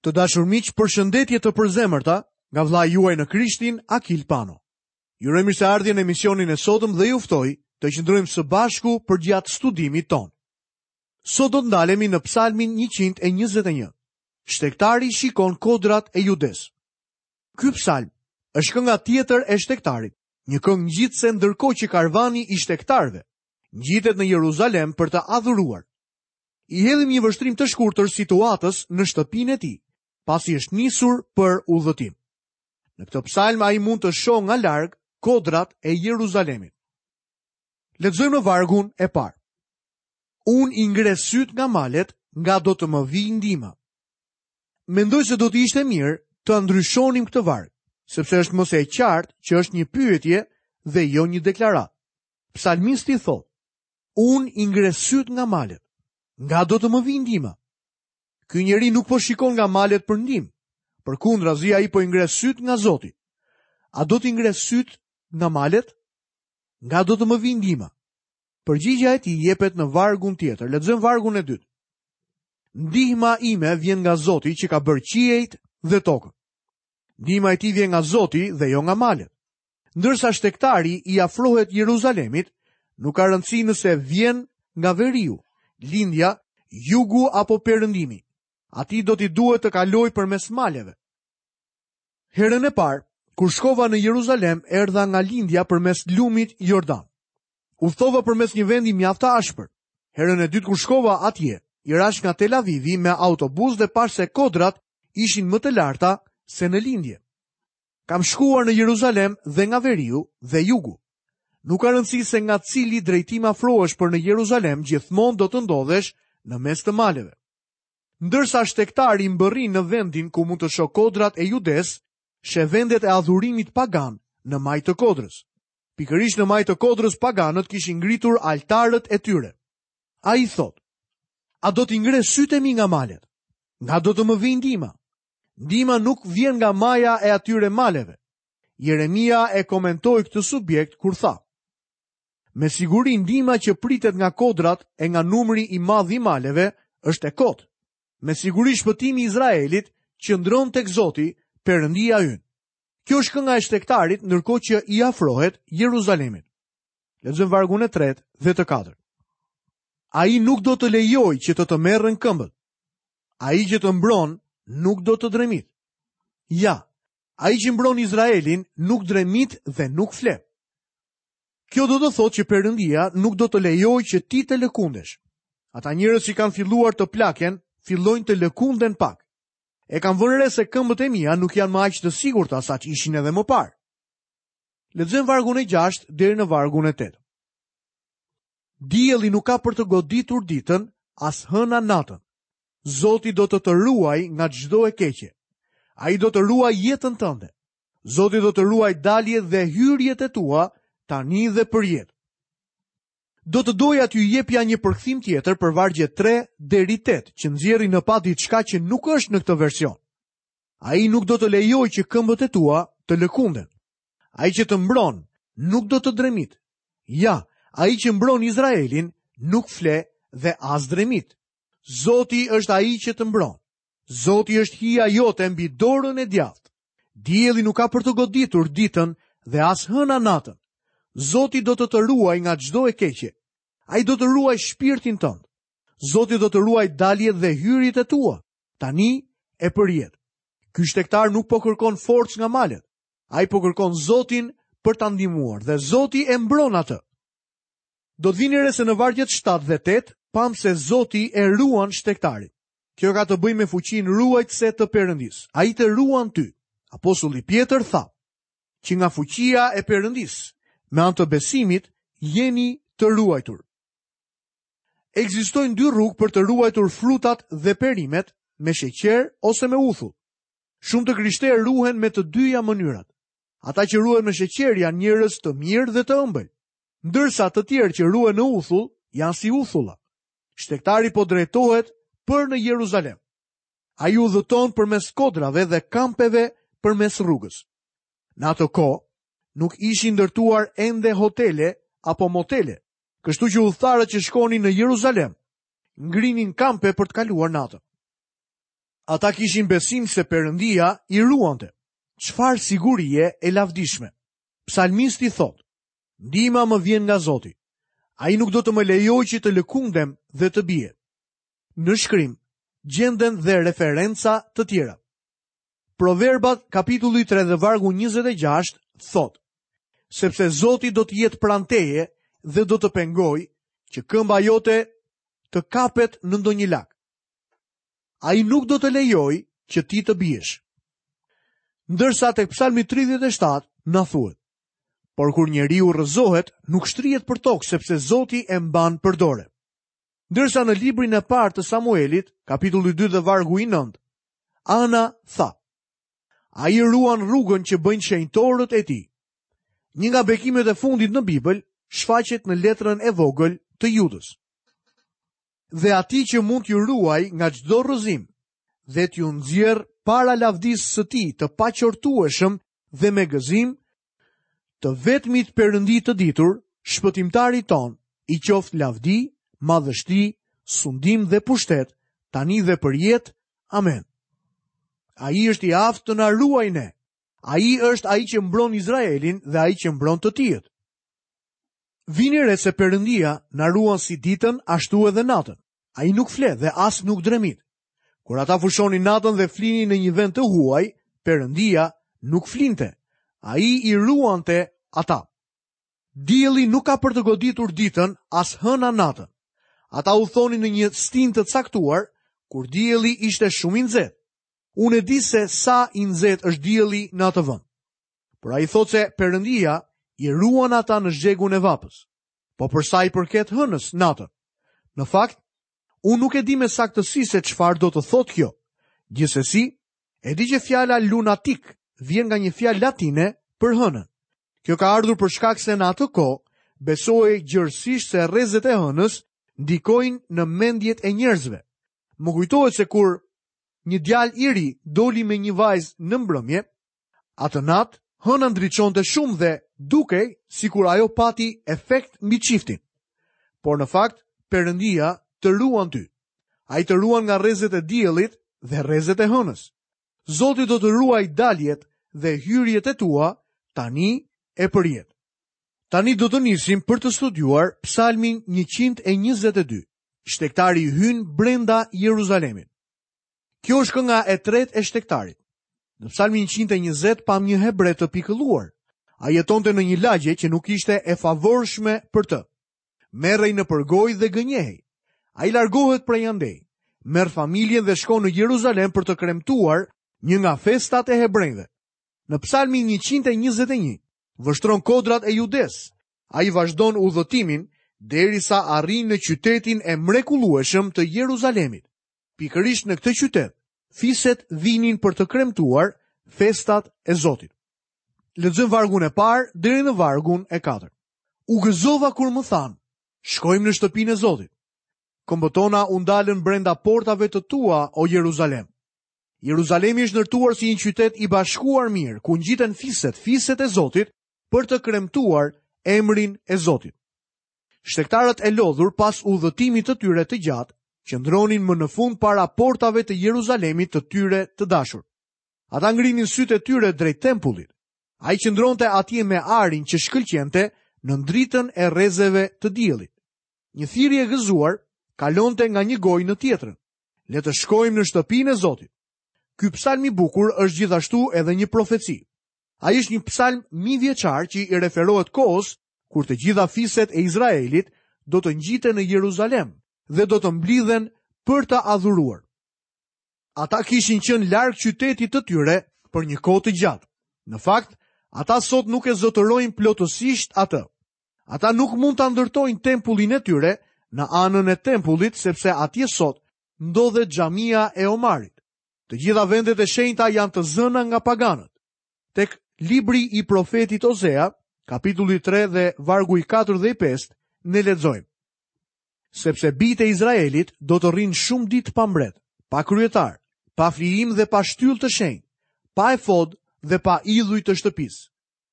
Të dashur miq, përshëndetje të përzemërta nga vëllai juaj në Krishtin, Akil Pano. Ju uroj mirëseardhje në emisionin e sotëm dhe ju ftoj të qëndrojmë së bashku përgjatë studimit tonë. Sot do të ndalemi në Psalmin 121. Shtegtari shikon kodrat e Judesë. Ky psalm është kënga tjetër e shtegtarit, një këngë ngjitëse ndërkohë që karvani i shtegtarëve ngjitet në Jeruzalem për të adhuruar. I hedhim një vështrim të shkurtër situatës në shtëpinë e tij, pasi është nisur për udhëtim. Në këtë psalm ai mund të shohë nga larg kodrat e Jeruzalemit. Lexojmë në vargun e parë. Unë i ngre sytë nga malet, nga do të më vijë ndihma. Mendoj se do të ishte mirë të ndryshonim këtë varg, sepse është më se e qartë që është një pyetje dhe jo një deklaratë. Psalmisti thotë: Unë i ngre sytë nga malet. Nga do të më vijë ndihma? Ky njeri nuk po shikon nga malet për ndihmë. Përkundrazi ai po i ngre sytë nga Zoti. A do t'i ngre sytë nga malet? Nga do të më vijë ndihma? Përgjigja e tij jepet në vargun tjetër. Lexojmë vargun e dytë. Ndihma ime vjen nga Zoti që ka bërë qiejt dhe tokën. Ndihma e tij vjen nga Zoti dhe jo nga malet. Ndërsa shtegtari i afrohet Jeruzalemit, nuk ka rëndësi nëse vjen nga veriu, lindja, jugu apo perëndimi. Atij do t'i duhet të kalojë përmes maleve. Herën e parë, kur shkova në Jeruzalem, erdha nga lindja përmes lumit Jordan. Udhëtova përmes një vendi mjaft të ashpër. Herën e dytë kur shkova atje, i rashë nga Tel Avivi me autobus dhe pashë se kodrat ishin më të larta se në lindje. Kam shkuar në Jeruzalem dhe nga veriu dhe jugu. Nuk ka rëndësi se nga cili drejtim afrohesh për në Jeruzalem, gjithmonë do të ndodhesh në mes të maleve. Ndërsa shtegtari mbërrin në vendin ku mund të shohë kodrat e Judesë, sheh vendet e adhurimit pagan në majë të kodrës. Pikërisht në majë të kodrës paganët kishin ngritur altarët e tyre. Ai thotë: A do t'i ngre sytë e mi nga malet? Nga do të më vijë ndihma? Ndihma nuk vjen nga maja e atyre maleve. Jeremia e komentoi këtë subjekt kur tha: Me siguri ndihma që pritet nga kodrat e nga numri i madh i maleve është e kotë. Me siguri shpëtimi i Izraelit qëndron tek Zoti, Perëndia ynë. Kjo është kënga e shtegtarit ndërkohë që i afrohet Jeruzalemit. Lexojmë vargun e tretë dhe të katërt. Ai nuk do të lejojë që të të merren këmbët. Ai që të mbron nuk do të dremit. Ja, ai që mbron Izraelin nuk dremit dhe nuk fle. Kjo do të thotë që Perëndia nuk do të lejojë që ti të lëkundesh. Ata njerëz që kanë filluar të plaken, fillojnë të lëkunden pak. E kam vënë re se këmbët e mia nuk janë më aq të sigurta sa ç'ishin edhe më parë. Lexojmë vargun e 6 deri në vargun e 8. Dielli nuk ka për të goditur ditën, as hëna natën. Zoti do të të ruajë nga çdo e keqe. Ai do të ruajë jetën tënde. Zoti do të ruajë daljet dhe hyrjet e tua tani dhe përjetë. Do të doja t'ju jepja një përkthim tjetër për vargjet 3 deri 8, që nxjerrin në pah diçka që nuk është në këtë version. Ai nuk do të lejojë që këmbët e tua të lëkunden. Ai që të mbron nuk do të dremit. Ja, ai që mbron Izraelin nuk fle dhe as dremit. Zoti është ai që të mbron. Zoti është hija jote mbi dorën e djathtë. Dielli nuk ka për të goditur ditën dhe as hëna natën. Zoti do të të ruajë nga çdo e keqe. Ai do të ruajë shpirtin tënd. Zoti do të ruajë daljet dhe hyrjet e tua, tani e përjetë. Ky shtegtar nuk po kërkon forcë nga malet. Ai po kërkon Zotin për ta ndihmuar dhe Zoti e mbron atë. Do të vini re se në vargjet 7 dhe 8 pamë se Zoti e ruan shtegtarin. Kjo ka të bëjë me fuqinë ruajtëse të Perëndisë. Ai të ruan ty. Apostulli Pjetër tha, që nga fuqia e Perëndisë, me anë të besimit, jeni të ruajtur. Ekzistojnë dy rrugë për të ruajtur frutat dhe perimet me sheqer ose me uthull. Shumë të krishterë ruhen me të dyja mënyrat. Ata që ruhen me sheqer janë njerëz të mirë dhe të ëmbël, ndërsa të tjerë që ruhen në uthull janë si uthulla. Shtegtari po drejtohet për në Jeruzalem. Ai udhëton përmes kodrave dhe kampeve përmes rrugës. Në atë kohë nuk ishin ndërtuar ende hotele apo motele, kështu që udhëtarët që shkonin në Jeruzalem ngrinin kampe për të kaluar natën. Ata kishin besim se Perëndia i ruante. Çfarë sigurie e lavdishme. Psalmisti thotë: Ndihma më vjen nga Zoti. Ai nuk do të më lejojë që të lëkundem dhe të bie. Në shkrim gjenden dhe referenca të tjera. Proverbat kapitulli 3 dhe vargu 26 thotë: Sepse Zoti do të jetë pranë teje dhe do të pengojë që këmba jote të kapet në ndonjë lak. Ai nuk do të lejojë që ti të biesh. Ndërsa tek Psalmi 37 na thuhet: Por kur njeriu rrëzohet, nuk shtrihet për tokë sepse Zoti e mban për dore. Ndërsa në librin e parë të Samuelit, kapitulli 2 dhe vargu i 9, Ana tha: Ai ruan rrugën që bëjnë shenjtorët e tij. Një nga bekimet e fundit në Bibël shfaqet në letrën e vogël të Judës. Dhe atij që mund t'ju ruajë nga çdo rrëzim dhe t'ju nxjerrë para lavdisë së tij të paqortueshëm dhe me gëzim, të vetmit Perëndi të ditur, shpëtimtarit tonë, i qoftë lavdi, madhështi, sundim dhe pushtet, tani dhe përjetë, amen. Ai është i aftë të na ruajë ne. Ai është ai që mbron Izraelin dhe ai që mbron të tijët. Vini re se Perëndia na ruan si ditën ashtu edhe natën. Ai nuk fle dhe as nuk dremit. Kur ata fushonin natën dhe flinin në një vend të huaj, Perëndia nuk flinte. Ai i ruante ata. Dielli nuk ka për të goditur ditën, as hëna natën. Ata udhëtonin në një stinë të caktuar, kur dielli ishte shumë i nxehtë. Unë e di se sa i nxehtë është dielli në atë vend. Por ai thotë se Perëndia i ruan ata në zhegun e vapës. Po për sa i përket hënës natën. Në fakt, unë nuk e di me saktësi se çfarë do të thotë kjo. Gjithsesi, e di që fjala lunatik vjen nga një fjalë latine për hënën. Kjo ka ardhur për shkak se në atë kohë besohej gjerësisht se rrezet e hënës ndikojnë në mendjet e njerëzve. Më kujtohet se kur një djalë i ri doli me një vajzë në mbrëmje, Atë natë, hëna ndriçonte shumë dhe dukej sikur ajo pati efekt mbi çiftin. Por në fakt, Perëndia të ruan ty. Ai të ruan nga rrezet e diellit dhe rrezet e hënës. Zoti do të ruajë daljet dhe hyrjet e tua tani e përjetë. Tani do të nisim për të studiuar Psalmin 122. Shtegtari hyn brenda Jeruzalemit. Kjo është kënga e tretë e shtegtarit. Në Psalmin 120 pamë një hebre të pikëlluar. Ai jetonte në një lagje që nuk ishte e favorshme për të. Merrej nëpër gojë dhe gënjehej. Ai largohet prej andej, merr familjen dhe shkon në Jeruzalem për të kremtuar një nga festat e hebrenjve. Në Psalmin 121 vështron kodrat e Judesë. Ai vazhdon udhëtimin derisa arrin në qytetin e mrekullueshëm të Jeruzalemit. Pikërisht në këtë qytet, fiset vinin për të kremtuar festat e Zotit. Lexojmë vargun e parë deri në vargun e katërt. U gëzova kur më thanë, shkojmë në shtëpinë e Zotit. Këmbët tona u ndalën brenda portave të tua, o Jeruzalem. Jeruzalemi është ndërtuar si një qytet i bashkuar mirë, ku ngjiten fiset, fiset e Zotit, për të kremtuar emrin e Zotit. Shtegtarët e lodhur pas udhëtimit të tyre të gjatë, qëndronin më në fund para portave të Jeruzalemit të tyre të dashur. Ata ngrinin sytë e tyre drejt tempullit. Ai qëndronte atje me arin që shkëlqente në dritën e rrezeve të diellit. Një thirrje e gëzuar kalonte nga një gojë në tjetrën. Le të shkojmë në shtëpinë e Zotit. Ky psalm i bukur është gjithashtu edhe një profeci. Ai është një psalm mijëvjeçar që i referohet kohës kur të gjitha fiset e Izraelit do të ngjiten në Jeruzalem dhe do të mblidhen për të adhuruar. Ata kishin qenë larg qytetit të tyre për një kohë të gjatë. Në fakt, ata sot nuk e zotërojnë plotësisht atë. Ata nuk mund ta ndërtojnë tempullin e tyre në anën e tempullit sepse atje sot ndodhet xhamia e Omarit. Të gjitha vendet e shenjta janë të zëna nga paganët. Tek libri i profetit Ozea, kapitulli 3 dhe vargu i 4 dhe i 5, ne lexojmë. Sepse bijtë e Izraelit do të rrinë shumë ditë pa mbret, pa kryetar, pa flijim dhe pa shtyllë të shenjtë, pa efod dhe pa idhuj të shtëpisë.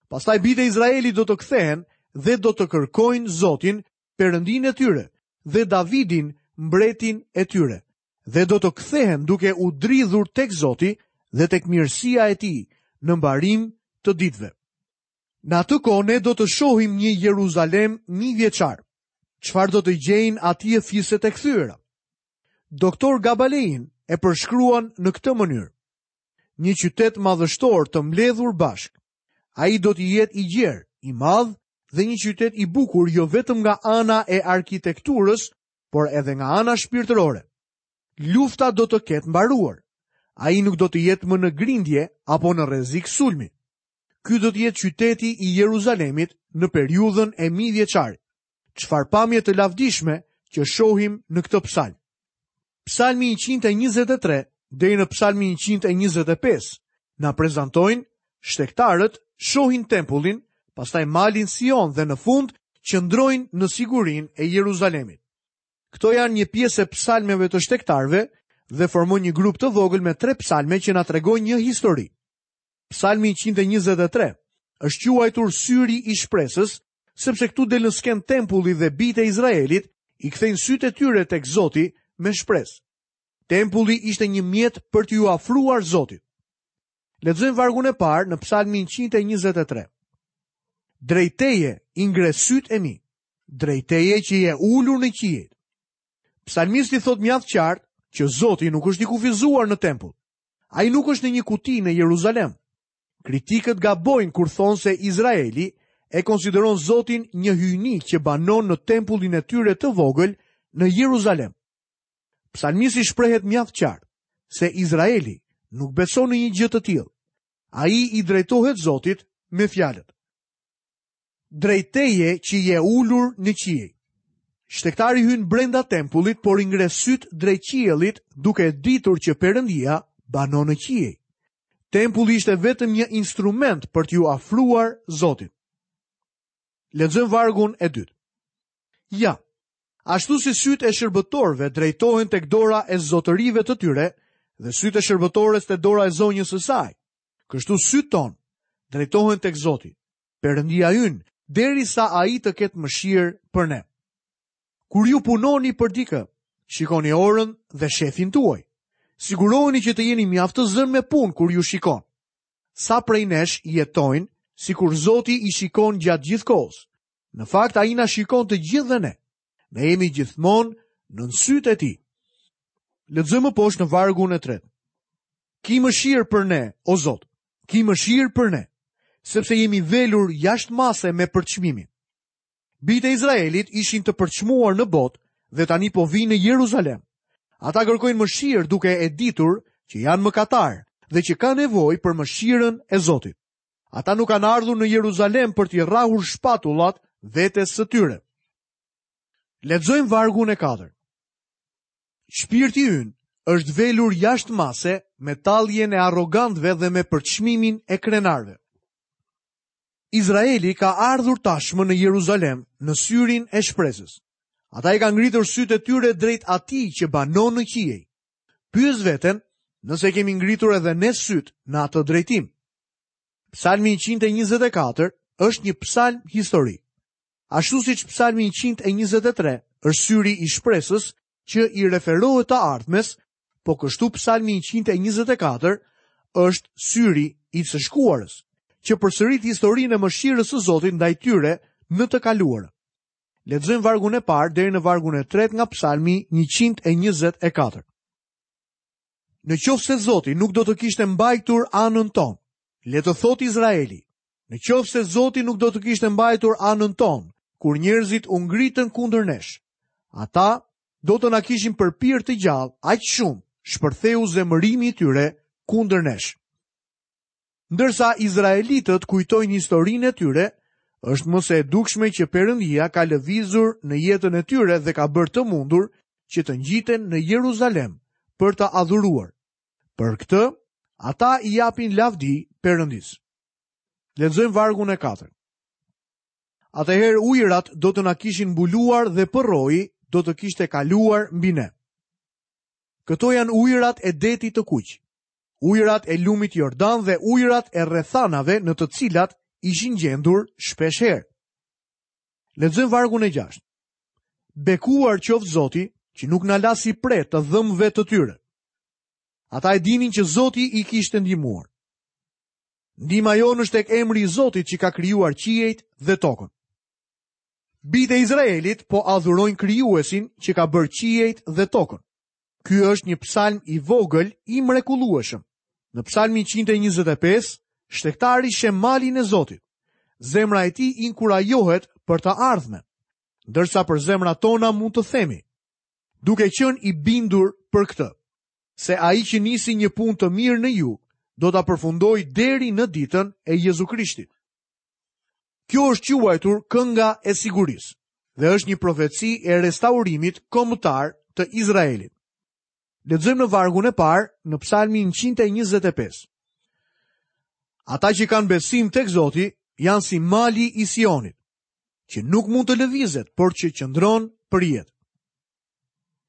Pastaj bijtë e Izraelit do të kthehen dhe do të kërkojnë Zotin, Perëndinë e tyre, dhe Davidin, mbretin e tyre. Dhe do të kthehen duke u dridhur tek Zoti dhe tek mirësia e tij në mbarim të ditëve. Në atë kohë ne do të shohim një Jeruzalem mijëvjeçar. Çfarë do të gjejnë atje fiset e kthyera? Doktor Gabalein e përshkruan në këtë mënyrë. Një qytet madhështor të mbledhur bashkë. Ai do të jetë i gjerë, i madh dhe një qytet i bukur jo vetëm nga ana e arkitekturës, por edhe nga ana shpirtërore. Lufta do të ketë mbaruar. Ai nuk do të jetë më në grindje apo në rrezik sulmi. Ky do të jetë qyteti i Jeruzalemit në periudhën e mijëvjeçarit. Çfarë pamje të lavdishme që shohim në këtë psalm. Psalmi 123 deri në psalmin 125 na prezantojnë shtegtarët shohin tempullin, pastaj malin Sion dhe në fund qëndrojnë në sigurinë e Jeruzalemit. Këto janë një pjesë e psalmeve të shtegtarëve dhe formojnë një grup të vogël me tre psalme që na tregojnë një histori. Psalmi 123 është quajtur syri i shpresës, sepse këtu del në skenë tempulli dhe bijtë e Izraelit i kthejnë sytë e tyre tek Zoti me shpresë. Tempulli ishte një mjet për t'iu afruar Zotit. Lexojmë vargun e parë në Psalmin 123. Drejt teje i ngre sytë e mi, drejt teje që je ulur në qiejt. Psalmisti thotë mjaft qartë që Zoti nuk është i kufizuar në tempull. Ai nuk është në një kuti në Jeruzalem. Kritikët gabojnë kur thonë se Izraeli e konsideron Zotin një hyjni që banon në tempullin e tyre të vogël në Jeruzalem. Psalmisti shprehet mjaft qartë se Izraeli nuk beson në një gjë të tillë. Ai i drejtohet Zotit me fjalët. Drejt teje që je ulur në qiej. Shtegtari hyn brenda tempullit, por i ngre sytë drejt qiellit, duke e ditur që Perëndia banon në qiej. Tempulli ishte vetëm një instrument për t'iu afruar Zotit. Lexojmë vargun e dytë. Ja, ashtu si sytë e shërbëtorëve drejtohen tek dora e zotërive të tyre dhe sytë e shërbëtores te dora e zonjës së saj, kështu sytë tanë drejtohen tek Zoti. Perëndia ynë, derisa ai të ketë mëshirë për ne. Kur ju punoni për dikë, shikoni orën dhe shefin tuaj. Siguroheni që të jeni mjaft të zënë me punë kur ju shikon. Sa prej nesh jetojnë sikur Zoti i shikon gjatë gjithë kohës. Në fakt ai na shikon të gjithëve ne. Ne jemi gjithmonë nën sytë e tij. Lexojmë më poshtë në vargun e tretë. Ki mëshirë për ne, o Zot. Ki mëshirë për ne, sepse jemi velur jashtë mase me përçmimin. Bijtë e Izraelit ishin të përçmuar në botë dhe tani po vijnë në Jeruzalem. Ata kërkojnë mëshirë duke e ditur që janë mëkatarë dhe që kanë nevojë për mëshirën e Zotit. Ata nuk kanë ardhur në Jeruzalem për t'i rrahur shpatullat vetes së tyre. Lexojmë vargun e katërt. Shpirti ynë është velur jashtë mase me talljen e arrogantëve dhe me përçmimin e krenarëve. Izraeli ka ardhur tashmë në Jeruzalem në syrin e shpresës. Ata i kanë ngritur sytë e tyre drejt atij që banon në qiej. Pyes veten nëse kemi ngritur edhe ne sytë në atë drejtim. Psalmi 124 është një psalm historik. Ashtu siç psalmi 123 është syri i shpresës që i referohet të ardhmes, po kështu psalmi 124 është syri i së shkuarës, që përsërit historinë e mëshirës së Zotit ndaj tyre në të kaluarën. Lexojmë vargun e parë deri në vargun e tretë nga psalmi 124. Në qoftë se Zoti nuk do të kishte mbajtur anën tonë, le të thotë Izraeli, në qoftë se Zoti nuk do të kishte mbajtur anën tonë, kur njerëzit u ngritën kundër nesh, ata do të na kishin përpirë të gjallë aq shumë shpërtheu zemërimi i tyre kundër nesh. Ndërsa izraelitët kujtojnë historinë e tyre, është më se e dukshme që Perëndia ka lëvizur në jetën e tyre dhe ka bërë të mundur që të ngjiten në Jeruzalem për të adhuruar. Për këtë, ata i japin lavdi Perëndisë. Lexojmë vargun e katërt. Atëherë ujërat do të na kishin mbuluar dhe përroi do të kishte kaluar mbi ne. Këto janë ujërat e detit të kuq. ujërat e lumit Jordan dhe ujërat e rrethanave në të cilat ishin gjendur shpeshherë. Lexojmë vargun e 6. Bekuar qoftë Zoti, që nuk na la si pre të dhëmbëve të tyre. Ata e dinin që Zoti i kishte ndihmuar. Ndihma jonë është tek emri i Zotit që ka krijuar qiejt dhe tokën. Bijtë e Izraelit po adhurojnë krijuesin që ka bërë qiejt dhe tokën. Ky është një psalm i vogël i mrekullueshëm. Në psalmin 125, shtegtari sheh malin e Zotit. Zemra e tij inkurajohet për të ardhmen. Ndërsa për zemrat tona mund të themi, duke qenë i bindur për këtë, se ai që nisi një punë të mirë në ju, do ta përfundojë deri në ditën e Jezu Krishtit. Kjo është quajtur kënga e sigurisë dhe është një profeci e restaurimit kombëtar të Izraelit. Lexojmë në vargun e parë në Psalmin 125. Ata që kanë besim tek Zoti janë si mali i Sionit, që nuk mund të lëvizet, por që qëndron përjetë.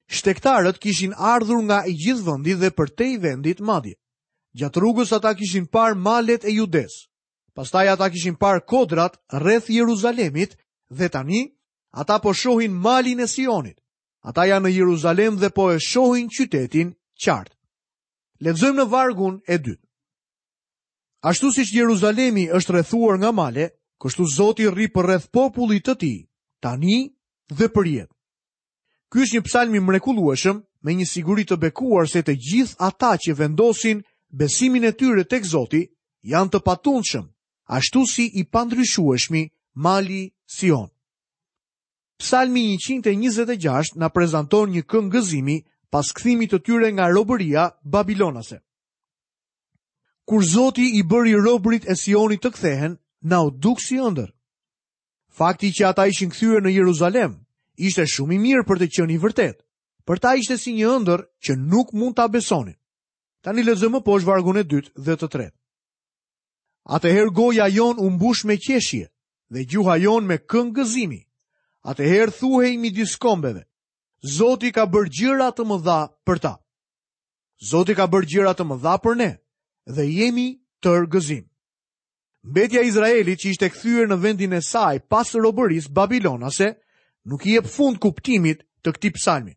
Shtegtarët kishin ardhur nga i gjithë vendi dhe përtej vendit madje. Gjatë rrugës ata kishin parë malet e Judesë. Pastaj ata kishin parë kodrat rreth Jeruzalemit dhe tani ata po shohin malin e Sionit. Ata janë në Jeruzalem dhe po e shohin qytetin qartë. Lexojmë në vargun e dytë. Ashtu siç Jeruzalemi është rrethuar nga male, kështu Zoti rri përreth popullit të tij, tani dhe përjetë. Ky është një psalm i mrekullueshëm me një siguri të bekuar se të gjithë ata që vendosin besimin e tyre tek Zoti janë të patundshëm, ashtu si i pandryshueshmi mali Sion. Psalmi 126 na prezanton një këngë gëzimi pas kthimit të tyre nga robëria babilonase. Kur Zoti i bëri robërit e Sionit të kthehen, na u duk si ëndërr. Fakti që ata ishin kthyer në Jeruzalem ishte shumë i mirë për të qenë i vërtetë. Për ta ishte si një ëndërr që nuk mund ta besonin. Tani lexojmë më poshtë vargun e dytë dhe të tretë. Atëherë goja jonë u mbush me qeshje dhe gjuha jonë me këngë gëzimi. Atëherë thuhej midis kombeve, Zoti ka bërë gjëra të mëdha për ta. Zoti ka bërë gjëra të mëdha për ne dhe jemi tërë gëzim. Mbetja e Izraelit që ishte kthyer në vendin e saj pas robërisë babilonase, nuk i jep fund kuptimit të këtij psalmi.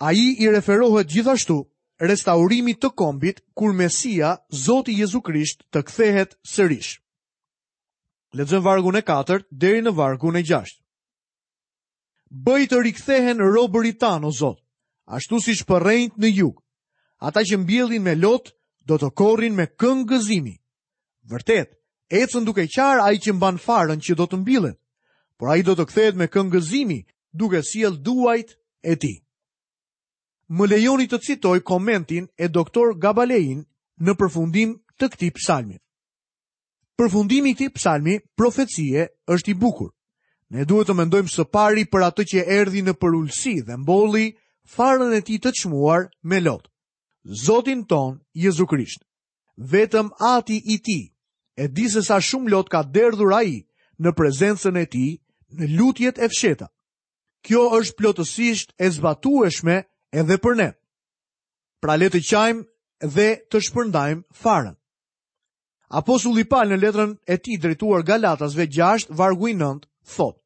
Ai i referohet gjithashtu restaurimit të kombit kur Mesia, Zoti Jezu Krisht, të kthehet sërish. Lexojmë vargun e 4 deri në vargun e 6. Bëj të rikthehen robërit tanë, o Zot, ashtu siç përrenjtë në jug. Ata që mbjellin me lot do të korrin me këngë gëzimi. Vërtet, ecën duke qarë ai që mban farën që do të mbillet, por ai do të kthehet me këngë gëzimi, duke sjellë duajt e tij. Më lejoni të citoj komentin e doktor Gabalein në përfundim të këtij psalmi. Përfundimi i këtij psalmi profecie është i bukur. Ne duhet të mendojmë së pari për atë që erdhi në përulësi dhe mbolli farën e tij të çmuar me lot. Zotin tonë Jezu Krisht. Vetëm Ati i tij e di se sa shumë lot ka derdhur ai në prezencën e tij në lutjet e fshehta. Kjo është plotësisht e zbatueshme edhe për ne. Pra le të qajmë dhe të shpërndajmë farën. Apostulli Pal në letrën e tij drejtuar Galatasve 6 vargu i 9 thotë: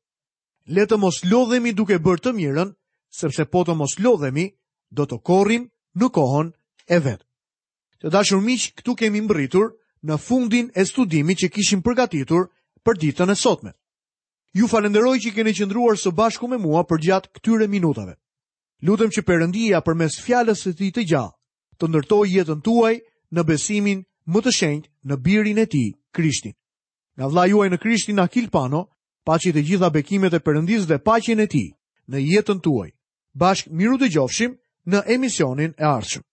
Le të mos lodhemi duke bërë të mirën, sepse po të mos lodhemi, do të korrim në kohën e vet. Të dashur miq, këtu kemi mbërritur në fundin e studimit që kishim përgatitur për ditën e sotme. Ju falënderoj që keni qëndruar së bashku me mua përgjatë këtyre minutave. Lutem që Perëndia përmes fjalës së tij të gjallë të ndërtojë jetën tuaj në besimin më të shenjtë në birin e tij, Krishtin. Nga vëllai juaj në Krishtin Akil Pano, paçi të gjitha bekimet e Perëndisë dhe paqen e tij në jetën tuaj. Bashkë mirudëgjofshim në emisionin e ardhshëm.